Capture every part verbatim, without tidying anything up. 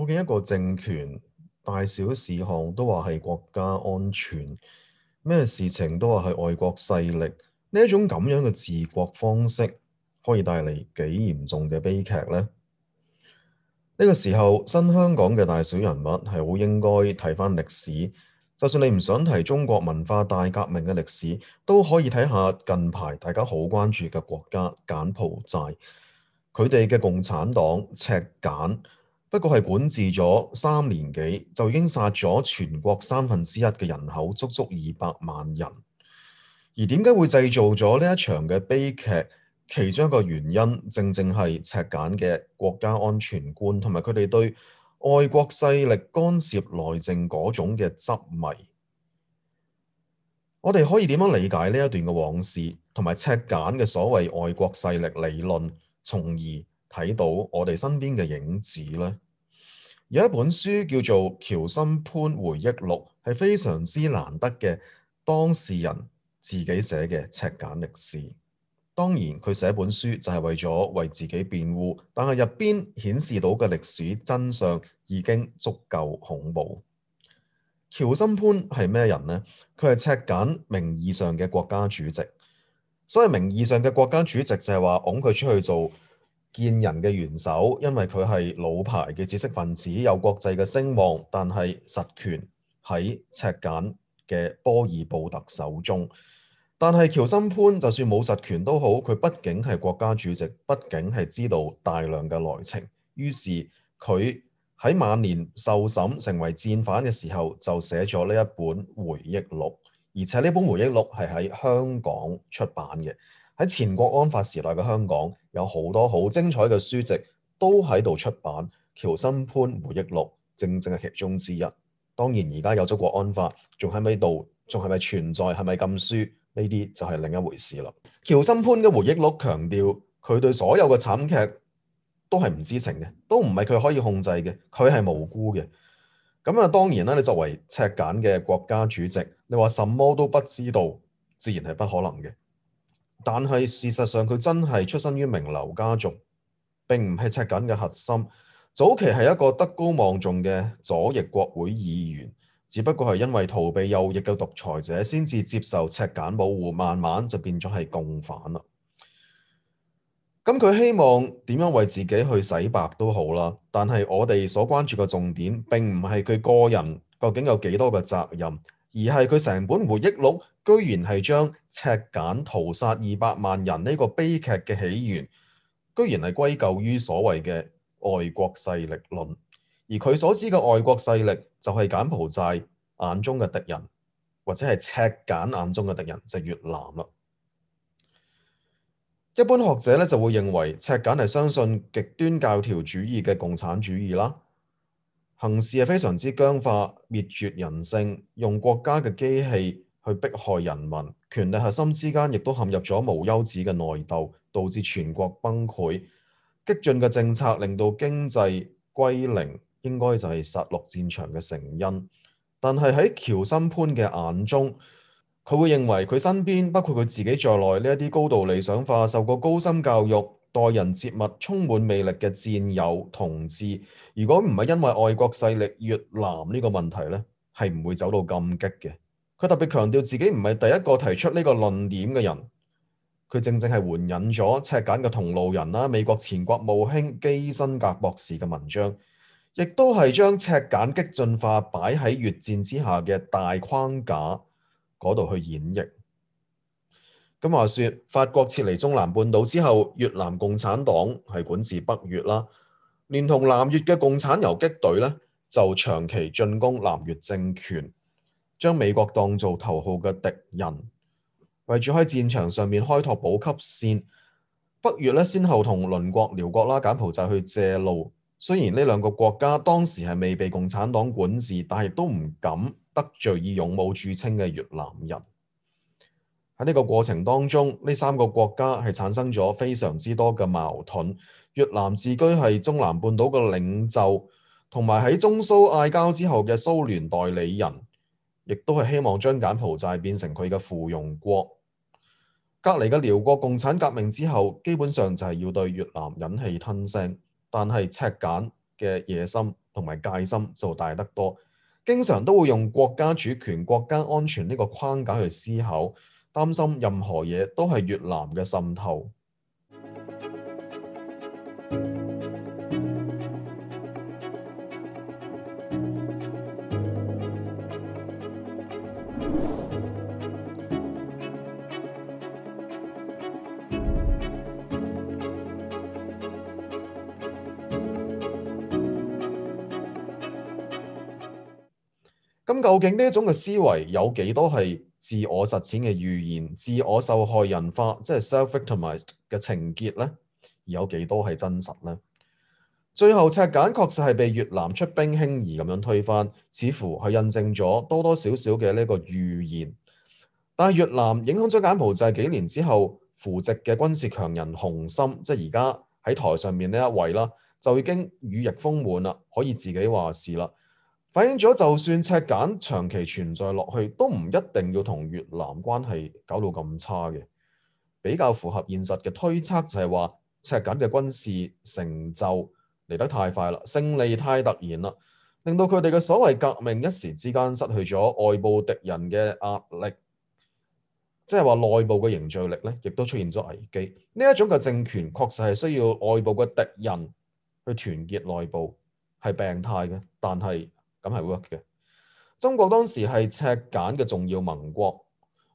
究竟一個政權大小事項都話係國家安全，咩事情都話係外國勢力，呢一種咁樣嘅治國方式，可以帶嚟幾嚴重嘅悲劇呢？呢個時候，新香港嘅大小人物係好應該睇返歷史，就算你唔想提中國文化大革命嘅歷史，都可以睇下近排大家好關注嘅國家柬埔寨，佢哋嘅共產黨赤柬，不過係管治咗三年幾，就已經殺咗全國三分之一嘅人口，足足二百萬人。而點解會製造咗呢一場嘅悲劇？其中一個原因，正正係赤柬嘅國家安全觀，同埋佢哋對外國勢力干涉內政嗰種嘅執迷。我哋可以點樣理解呢一段嘅往事，同埋赤柬嘅所謂外國勢力理論，從而睇到我哋身邊嘅影子呢？有一本書叫做《喬森潘回憶錄》，係非常之難得嘅當事人自己寫嘅赤柬歷史。當然，佢寫本書就係為咗為自己辯護，但係入邊顯示到嘅歷史真相已經足夠恐怖。喬森潘係咩人呢？佢係赤柬名義上嘅國家主席。所謂名義上嘅國家主席就係話拱佢出去做見人嘅元首，因為佢係老牌嘅知識分子，有國際嘅聲望，但係實權喺赤柬嘅波爾布特手中。但係喬森潘就算冇實權都好，佢畢竟係國家主席，畢竟係知道大量嘅內情。於是佢喺晚年受審成為戰犯嘅時候，就寫咗呢一本回憶錄。而且呢本回憶錄係喺香港出版嘅。喺前國安法時代嘅香港，有好多好精彩嘅書籍都喺度出版。喬森潘回憶錄正正係其中之一。當然而家有咗國安法，仲喺咪度，仲係咪存在，係咪禁書？呢啲就係另一回事啦。喬森潘嘅回憶錄強調，佢對所有嘅慘劇都係唔知情嘅，都唔係佢可以控制嘅，佢係無辜嘅。咁啊，當然啦，你作為赤柬嘅國家主席，你話什麼都不知道，自然係不可能嘅。但係事實上，佢真係出身於名流家族，並唔係赤柬嘅核心。早期係一個德高望重嘅左翼國會議員。只不過係因為逃避右翼嘅獨裁者，先至接受赤柬保護，慢慢就變咗係共犯啦。咁佢希望點樣為自己去洗白都好啦，但係我哋所關注嘅重點並唔係佢個人究竟有幾多嘅責任，而係佢成本回憶錄居然係將赤柬屠殺二百萬人呢個悲劇嘅起源，居然係歸咎於所謂嘅外國勢力論。而佢所知嘅外國勢力就係柬埔寨眼中嘅敵人，或者係赤柬眼中嘅敵人，就係越南啦。一般學者咧就會認為赤柬係相信極端教條主義嘅共產主義啦，行事係非常之僵化，滅絕人性，用國家嘅機器去迫害人民，權力核心之間亦都陷入咗無休止嘅內鬥，導致全國崩潰。激進嘅政策令到經濟歸零，應該就係殺戮戰場嘅成因。但係喺喬森潘嘅眼中，佢會認為佢身邊包括佢自己在內呢一啲高度理想化、受過高深教育、待人接物充滿魅力嘅戰友同志，如果唔係因為外國勢力越南呢個問題呢，係唔會走到咁激嘅。佢特別強調自己唔係第一個提出呢個論點嘅人。佢正正係援引咗赤柬嘅同路人啦，美國前國務卿基辛格博士嘅文章，亦都係將赤柬激進化擺喺越戰之下嘅大框架嗰度去演繹。咁話說，法國撤離中南半島之後，越南共產黨係管治北越啦，連同南越嘅共產游擊隊呢，就長期進攻南越政權，將美國當做頭號嘅敵人。為咗喺戰場上面開拓補給線，北越咧先後同鄰國寮國啦、柬埔寨去借路。雖然呢兩個國家當時係未被共產黨管治，但係都唔敢得罪以勇武著稱嘅越南人。喺呢個過程當中，呢三個國家係產生咗非常之多嘅矛盾。越南自居係中南半島嘅領袖，同埋喺中蘇嗌交之後嘅蘇聯代理人，亦都係希望將柬埔寨變成佢嘅附庸國。隔離嘅寮國共產革命之後，基本上就係要對越南忍氣吞聲，但係赤柬嘅野心同埋戒心就大得多，經常都會用國家主權、國家安全呢個框架去思考，擔心任何嘢都係越南嘅滲透。咁究竟呢一種嘅思維有幾多係自我實踐嘅預言、自我受害人化，即係 self-victimized 嘅情結呢？而有幾多係真實呢？最後赤柬確實係被越南出兵輕易咁樣推翻，似乎係印證咗多多少少嘅呢個預言。但係越南影響咗柬埔寨幾年之後，扶植嘅軍事強人洪森，即係而家喺台上面呢一位啦，就已經羽翼豐滿啦，可以自己話事啦。反映咗，就算赤柬長期存在落去，都唔一定要同越南關係搞到咁差嘅。比較符合現實嘅推測就係話，赤柬嘅軍事成就嚟得太快啦，勝利太突然啦，令到佢哋嘅所謂革命一時之間失去咗外部敵人嘅壓力，即係話內部嘅凝聚力咧，亦都出現咗危機。呢一種嘅政權確實係需要外部嘅敵人去團結內部，係病態嘅，但係咁係 work 嘅。中國當時係赤柬嘅重要盟國，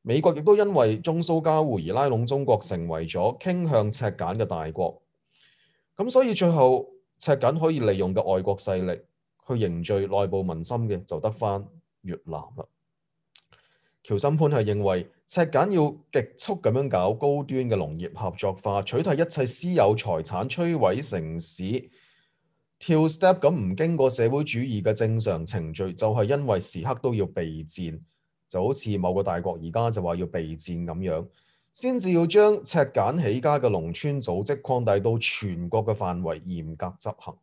美國亦都因為中蘇交互而拉攏中國，成為咗傾向赤柬嘅大國。咁所以最後赤柬可以利用嘅外國勢力去凝聚內部民心嘅，就得返越南啦。喬森潘係認為赤柬要極速咁樣搞高端嘅農業合作化，取締一切私有財產，摧毀城市。跳 step 咁唔經過社會主義嘅正常程序，就係因為時刻都要備戰，就好似某個大國而家就話要備戰咁樣，先至要將赤柬起家嘅農村組織擴大到全國嘅範圍，嚴格執行。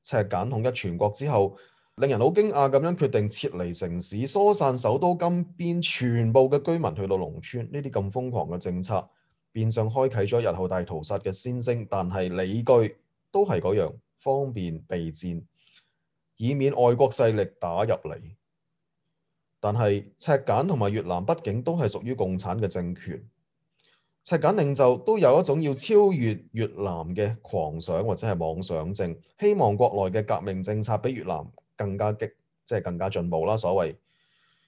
赤柬統一全國之後，令人好驚訝咁樣決定撤離城市，疏散首都金邊全部嘅居民去到農村。呢啲咁瘋狂嘅政策，變相開啟咗日後大屠殺嘅先聲，但係理據都係嗰樣。方便備戰，以免外國勢力打入嚟。但係赤柬同埋越南畢竟都係屬於共產嘅政權，赤柬領袖都有一種要超越越南嘅狂想或者係妄想症，希望國內嘅革命政策比越南更加激，即係更加進步啦。所謂，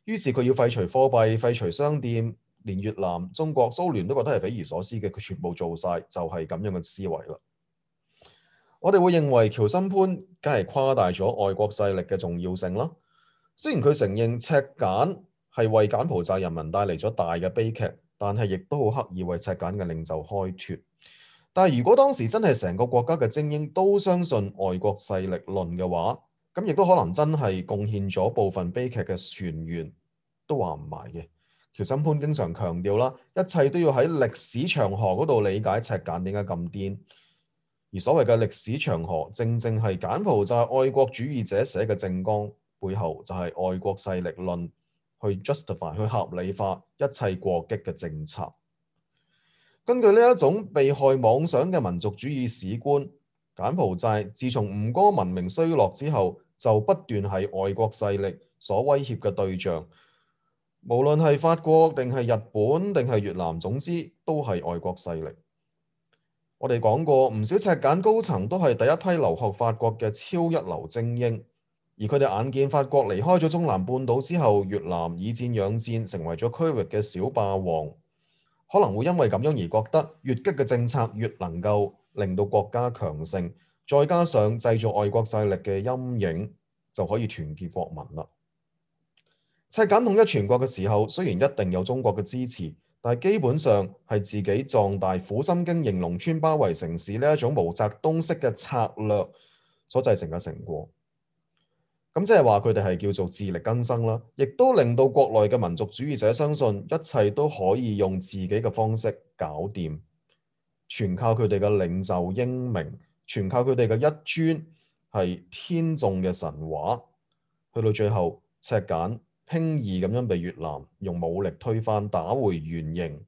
於是佢要廢除貨幣、廢除商店，連越南、中國、蘇聯都覺得係匪夷所思嘅，佢全部做晒，就係咁樣嘅思維啦。我哋會認為喬森潘梗係誇大咗外國勢力嘅重要性啦。雖然佢承認赤柬係為柬埔寨人民帶嚟咗大嘅悲劇，但係亦都好刻意為赤柬嘅領袖開脫。但係如果當時真係成個國家嘅精英都相信外國勢力論嘅話，咁亦都可能真係貢獻咗部分悲劇嘅泉源，都話唔埋嘅。喬森潘經常強調啦，一切都要喺歷史長河嗰度理解赤柬點解咁癲。而所謂嘅歷史長河，正正係柬埔寨愛國主義者寫嘅政綱，背後就係外國勢力論去 justify 去合理化一切過激嘅政策。根據呢一種被害妄想嘅民族主義史觀，柬埔寨自從吳哥文明衰落之後，就不斷係外國勢力所威脅嘅對象，無論係法國定係日本定係越南，總之都係外國勢力。我哋講過，唔少赤柬高層都係第一批留學法國嘅超一流精英，而佢哋眼見法國離開咗中南半島之後，越南以戰養戰，成為咗區域嘅小霸王，可能會因為咁樣而覺得越激嘅政策越能夠令到國家強盛，再加上製造外國勢力嘅陰影，就可以團結國民啦。赤柬統一全國嘅時候，雖然一定有中國嘅支持，但係基本上係自己壯大、苦心經營農村包圍城市呢一種毛澤東式嘅策略所製成嘅成果。咁即係話佢哋係叫做自力更生啦，亦都令到國內嘅民族主義者相信一切都可以用自己嘅方式搞掂，全靠佢哋嘅領袖英明，全靠佢哋嘅一尊係天縱嘅神話。去到最後，赤柬輕易咁樣被越南用武力推翻，打回原形。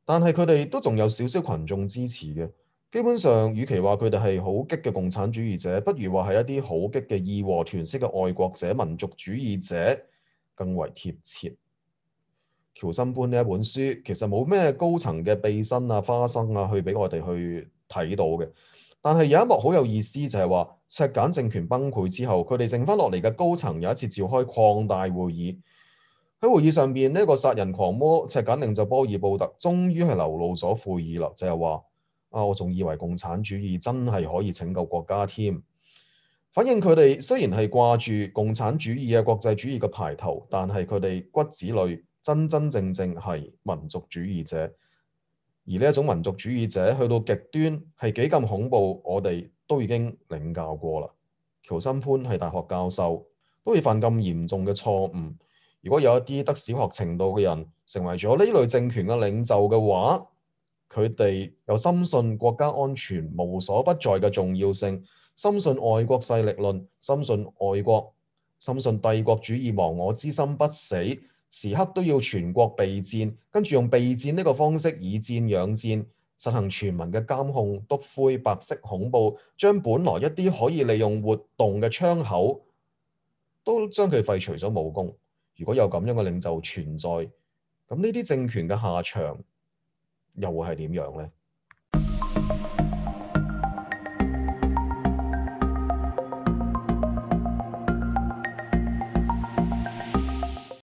但係佢哋都仲有少少群眾支持嘅，基本上，與其話佢哋係好激嘅共產主義者，不如話係一啲好激嘅義和團式嘅愛國者、民族主義者更為貼切。喬森潘呢一本書其實冇咩高層嘅秘辛啊、花生啊，去俾我哋去睇到嘅。但係有一幕好有意思，就係話赤柬政權崩潰之後，佢哋剩翻落嚟嘅高層有一次召開擴大會議。喺會議上邊，呢個殺人狂魔赤柬領袖波爾布特終於係流露咗悔意啦，就係話。啊！我仲以為共產主義真係可以拯救國家添。反映佢哋雖然係掛住共產主義啊、國際主義嘅牌頭，但係佢哋骨子裏真真正正係民族主義者。而呢一種民族主義者去到極端係幾咁恐怖，我哋都已經領教過啦。喬森潘係大學教授，都會犯咁嚴重嘅錯誤。如果有一啲得小學程度嘅人成為咗呢類政權嘅領袖嘅話，佢哋又深信國家安全無所不在嘅重要性，深信外國勢力論，深信外國，深信帝國主義亡我之心不死，時刻都要全國備戰，跟住用備戰呢個方式以戰養戰，實行全民嘅監控、篤灰、白色恐怖，將本來一啲可以利用活動嘅窗口，都將佢廢除咗武功。如果有咁樣嘅領袖存在，咁呢啲政權嘅下場又會係點樣呢？